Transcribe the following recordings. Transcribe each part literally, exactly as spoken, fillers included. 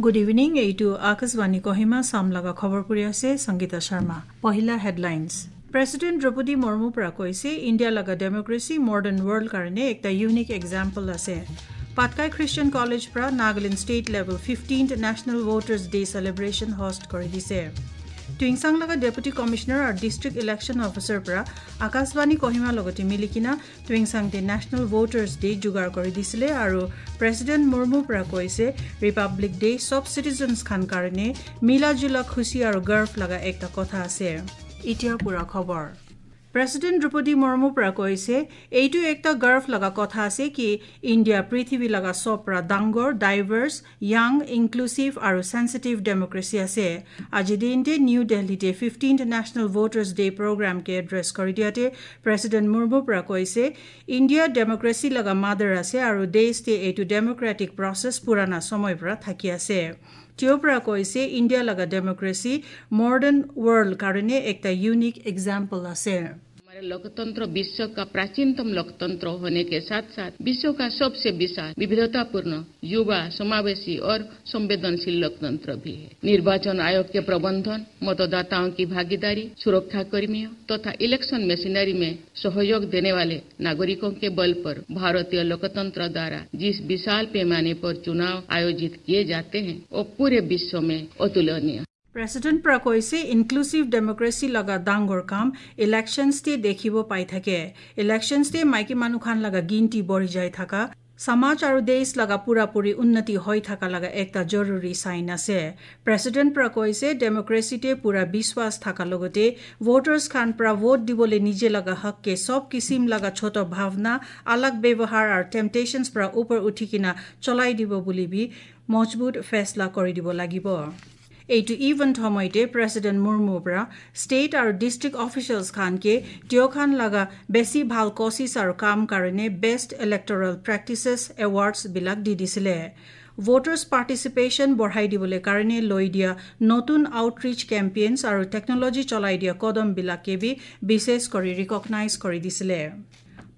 Good evening, এইটো আকাশবাণী কহিমা, সামলাগা খবর পড়ি আছে সঙ্গীতা শর্মা। পহিলা headlines। President Draupadi Murmu pra koise India laga democracy modern world karone ekta unique example ase। Patkai Christian College pra Nagaland state level fifteenth National Voters Day celebration host kori dise। Tuingsang laga Deputy Commissioner ar District Election Officer pra Akashvani Kohima logote milikina Tuingsang te National Voters Day jugar kori disile aru President Murmu pra koise Republic Day sob citizens khan karone mila jula khushi aru garv laga ekta kotha ase। Itya pura khobor। President Draupadi Murmu pra koise, এইটো একটা garv laga kotha ase ki India পৃথিৱী laga sob pra dangor, diverse, young, inclusive aru sensitive democracy ase। Aji din te New Delhi te fifteenth National Voters Day program ke address kori diya te President Murmu pra koise, India democracy laga mother ase aru desh te eitu democratic process purana somoy pra thaki ase। Teo pra koise India laga democracy modern world karone ekta unique example ase। हमारे लोकतंत्र विश्व का प्राचीनतम लोकतंत्र होने के साथ साथ विश्व का सबसे विशाल, विविधतापूर्ण, युवा, समावेशी और संवेदनशील लोकतंत्र भी है। निर्वाचन आयोग के प्रबंधन, मतदाताओं की भागीदारी, सुरक्षा कर्मियों तथा इलेक्शन मशीनरी में सहयोग देने वाले नागरिकों के बल पर भारतीय लोकतंत्र द्वारा जिस विशाल पैमाने पर चुनाव आयोजित किए जाते हैं, वो पूरे विश्व में अतुलनीय। President pra koise inclusive democracy laga dangor kam elections te dekhibo pai thake। Elections te maiki manu khan laga ginti bori jai thaka। Samaj aru desh laga pura puri unnati hoi thaka laga ekta joruri sign ase। President pra koise democracy te pura biswas thaka logote voters khan pra vote dibole nije laga hak ke sob kisim laga choto bhavna, alag bevahar ar temptations pra upor uthikina cholai dibo buli bi mojbut fesla kori dibo lagibo। Eitu event homoite President Murmu pra state aru district officials khan ke teo khan laga besi bhal kosis aru kam karone best electoral practices awards bilak di disile। Voters participation borhai dibole karone loi dia notun outreach campaigns aru technology cholai dia kodom bilak ke bi bishes kori recognize kori disile।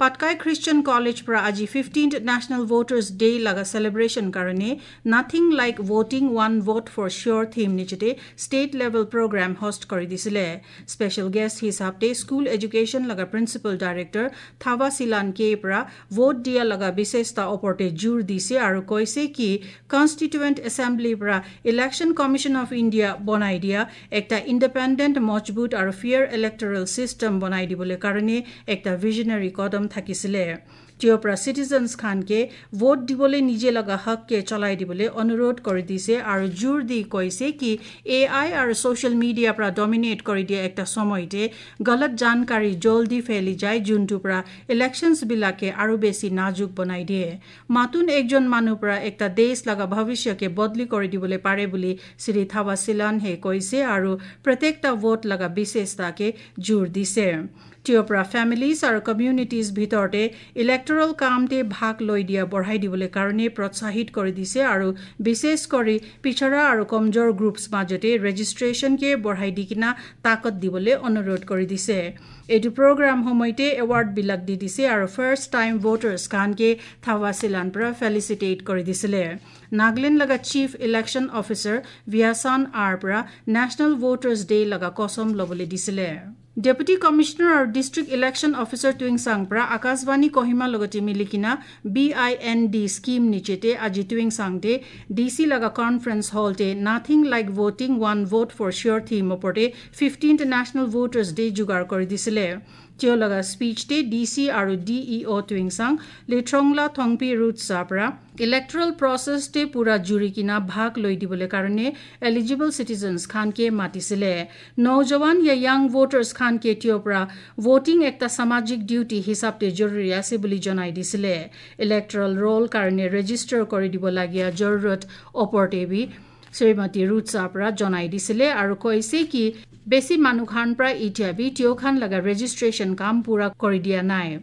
Patkai Christian College pra aji fifteenth National Voters Day laga celebration karone Nothing Like Voting One Vote for Sure theme nichete state level program host kori disile। Special guest hisab te school education laga principal director Thawa Silan K pra vote dia laga bisesta oporte jur dise aru koise ki Constituent Assembly pra Election Commission of India bonai dia ekta independent, mojbut aru fair electoral system bonai dibole karone ekta visionary kodom thakisile। Teo pra citizens khan ke vote dibole nije laga hak ke cholai dibole onurodh kori dise aru jur di koise ki A I aru social media pra dominate kori dia ekta somoy te galat jankari joldi pheli jai juntu pra elections bilak ke aru besi najuk bonai de। Matun ekjon manu pra ekta desh laga bhavishya ke bodli kori dibole pare buli Shri Thawa Silan he koise aru protekta vote laga bisesta ke jur dise। Teo pra families aru communities bhitor te electoral kam te bhag loi dia borhai dibole karone protsahit kori dise aru bishesh kori pichara aru komjor groups majote registration ke borhai dikina takot dibole onurodh kori dise। Eitu program homoite award bilak di dise aru first time voters khan ke Thawa Silan pra felicitate kori disile। Nagaland laga Chief Election Officer Vyasan R pra National Voters Day laga kosom lobole disile। Deputy Commissioner aru District Election Officer Tuingsang pra Akashvani Kohima logote milikina B I N D scheme nichete aji Tuingsang te D C laga conference hall te Nothing Like Voting One Vote for Sure theme oporte fifteenth National Voters Day jugar kori disile। Teo laga speech te D C aru D E O Tuingsang Lithrongla Thongpi Root sapra electoral process te pura juri kina bhag loi dibole karone eligible citizens khan ke matisile। Nojawan ya young voters khan ke teo pra voting ekta samajik duty hisab te joruri ase buli jonai disile। Electoral roll karone register kori dibo lagia jorurot oporte bi Srimati Root sapra jonai disile aru koise ki besi manu khan pra itya bi teo khan laga registration kam pura kori dia nai।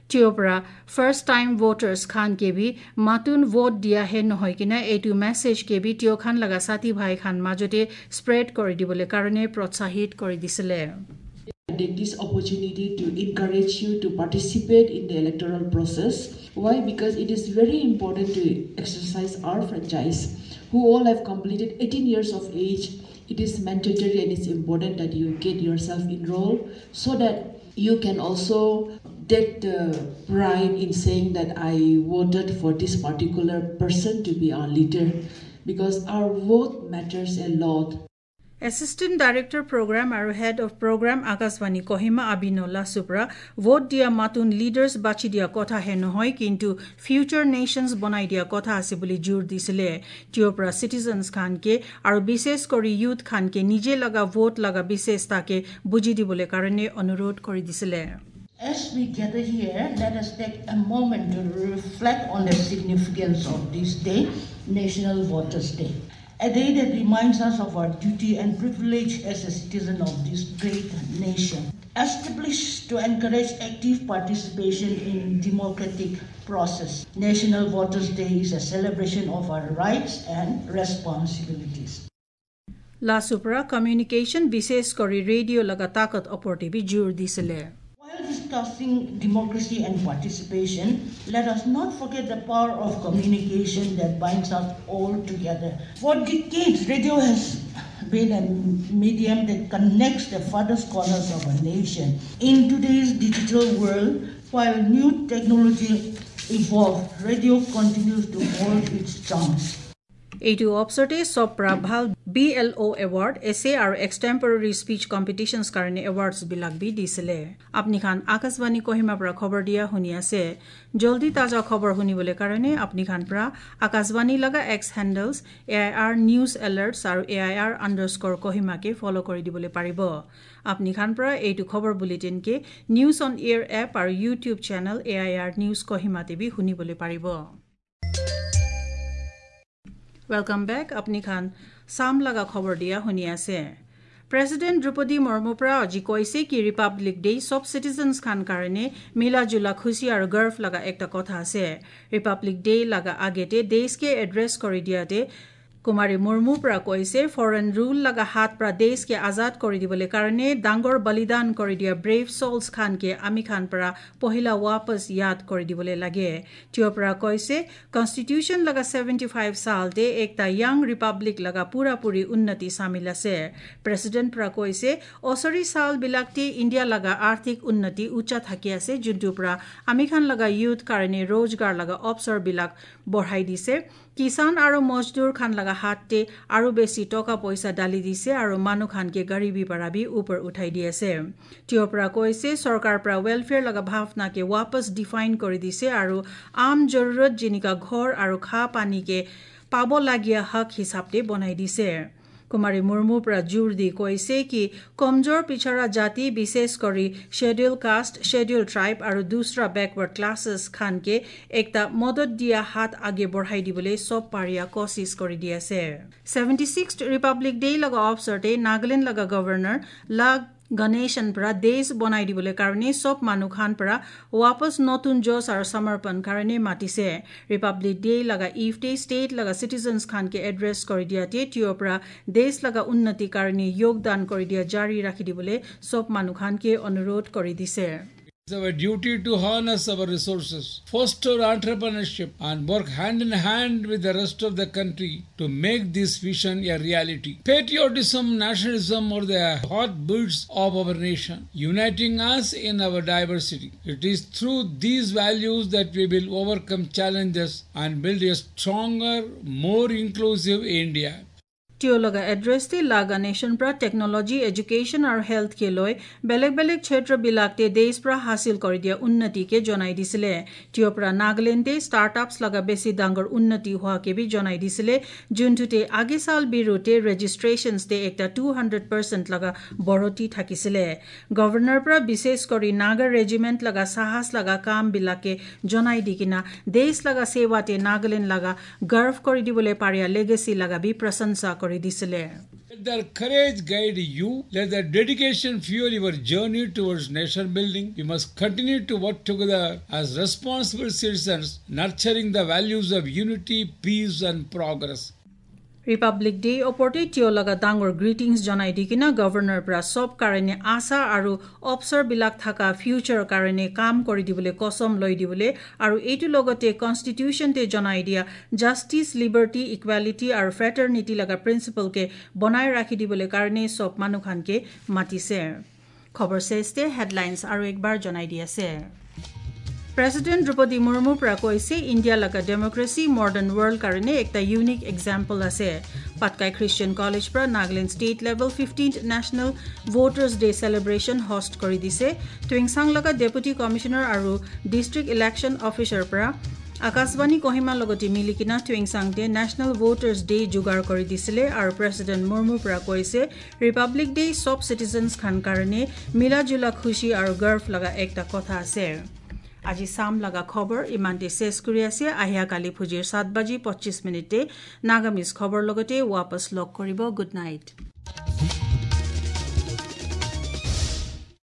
Teo pra first time voters khan ke bi matun vote dia he nohoi kina eitu message ke bi teo khan laga sati bhai khan majote spread kori dibole karone protsahit kori disile। Take this opportunity to encourage you to participate in the electoral process. Why? Because it is very important to exercise our franchise. who all have completed eighteen years of age, it is mandatory and it's important that you get yourself enrolled so that you can also take the pride in saying that I voted for this particular person to be our leader, because our vote matters a lot. Assistant Director Program aru Head of Program Akashvani Kohima Abino Lasubra vote dia matun leaders bachi dia kotha he nohoi, kintu future nations bonai dia kotha ase bole jur disile. Tiopra citizens khan ke aru bishesh kori youth khan ke nije laga vote laga bishesh ta ke buji dibole karone onurodh kori disile. As we gather here, let us take a moment to reflect on the significance of this day, National Voters' Day. A day that reminds us of our duty and privilege as a citizen of this great nation. Established to encourage active participation in democratic process, National Voters' Day is a celebration of our rights and responsibilities. Lasubra communication, bishesh kori radio laga takat opor te bi jur disile. While discussing democracy and participation, let us not forget the power of communication that binds us all together. For decades, radio has been a medium that connects the farthest corners of a nation. In today's digital world, while new technology evolve, radio continues to hold its charms. Eitu opsote sopra bhal B L O award, essay aru extemporary speech competitions karone awards bilak bi disile. Apni khan Akashvani Kohima pra khobor dia huni ase. Joldi taja khobor huni bole karone apni khan pra Akashvani laga X handles, A I R news alerts aru A I R underscore Kohima ke follow kori dibole paribo. Apni khan pra eitu khobor bulletin ke News on Air app aru YouTube channel A I R News Kohima te bi huni bole paribo. Welcome back. Apni khan sam laga khobor dia huni ase. President Droupadi Murmu pra aji koise ki Republic Day sob citizens khan karone mila jula khushi aru garv laga ekta kotha ase. Republic Day laga agete desh ke address kori dia te Kumari Murmu pra koise foreign rule laga hat pra desh ke azad kori dibole karone dangor balidan kori dia brave souls khan ke ami khan pra pohila wapas yad kori dibole lage. Tiopra koise Constitution laga seventy five sal te ekta young republic laga pura puri unnati samil ase. President pra koise osori sal bilak te India laga arthik unnati ucha thaki ase, juntu pra ami khan laga youth karone rojgar laga opsor bilak borhai dise. Kisan aru mojdur khan laga hat te aru besi toka poisa dali dise aru manu khan ke garibi para bi upor uthai di ase. Tiopra koise sorkar pra welfare laga bhavna ke wapas define kori dise aru aam jarurat jinka ghor aru kha pani ke pabo lagia hak hisab te bonai dise. Kumari Murmu pra jur di koise ki komjor pichara jati, bishesh kori schedule caste, schedule tribe aru dusra backward classes khan ke ekta modot dia hat age borhai dibole sob paria kosis kori di ase. Seventy sixth Republic Day laga opsor te Nagaland laga Governor La Ganesan pra desh bonai dibole karone sob manu khan pra wapas notun josh aru samarpan karone matise. Republic Day laga eve te state laga citizens khan ke address kori dia te tiopra desh laga unnati karone yogdan kori dia jari rakhi dibole sob manu khan ke onurodh kori dise. It's our duty to harness our resources, foster entrepreneurship, and work hand in hand with the rest of the country to make this vision a reality. Patriotism, nationalism are the heartbeats of our nation, uniting us in our diversity. It is through these values that we will overcome challenges and build a stronger, more inclusive India. Tiologa address te La Ganesan pra technology, education aru health ke loi belek belek kshetra bilak te desh pra hasil kori dia unnati ke jonai disile. Tiopra Nagaland te startups laga besi dangor unnati hua ke bi jonai disile. Juntu te age sal biru te registrations te ekta two hundred percent laga boroti thakisile. Governor pra bishesh kori Naga regiment laga sahas laga kam bilak ke jonai dikina desh laga seva te Nagaland laga garv kori dibole paria legacy laga bi prasansa kori disile. Let their courage guide you. Let their dedication fuel your journey towards nation building. We must continue to work together as responsible citizens, nurturing the values of unity, peace, and progress. Republic Day oporte tio laga dangor greetings janai dikina Governor pra sob karene asa aru opsor bilak thaka future karene kam kori dibole kosom loi dibole aru eitu logote Constitution te janai dia justice, liberty, equality aru fraternity laga principle ke bonai rakhi dibole karene sob manukhan ke matise. Khobor seste headlines aru ekbar janai dia se. President Draupadi Murmu pra koise India laga democracy modern world karene ekta unique example ase. Patkai Christian College pra Nagaland state level fifteenth National Voters Day celebration host kori dise. Tuingsang laga Deputy Commissioner aru District Election Officer pra Akashvani Kohima logote milikina Tuingsang te National Voters Day jugar kori disile aru President Murmu pra koise Republic Day sob citizens khan karene mila jula khushi aru garv laga ekta kotha ase. Aji sam laga khobor imante ses kuri ase, ahia kali phujir sat baji pochis minute te Nagamese khobor logote wapas log koribo. Good night.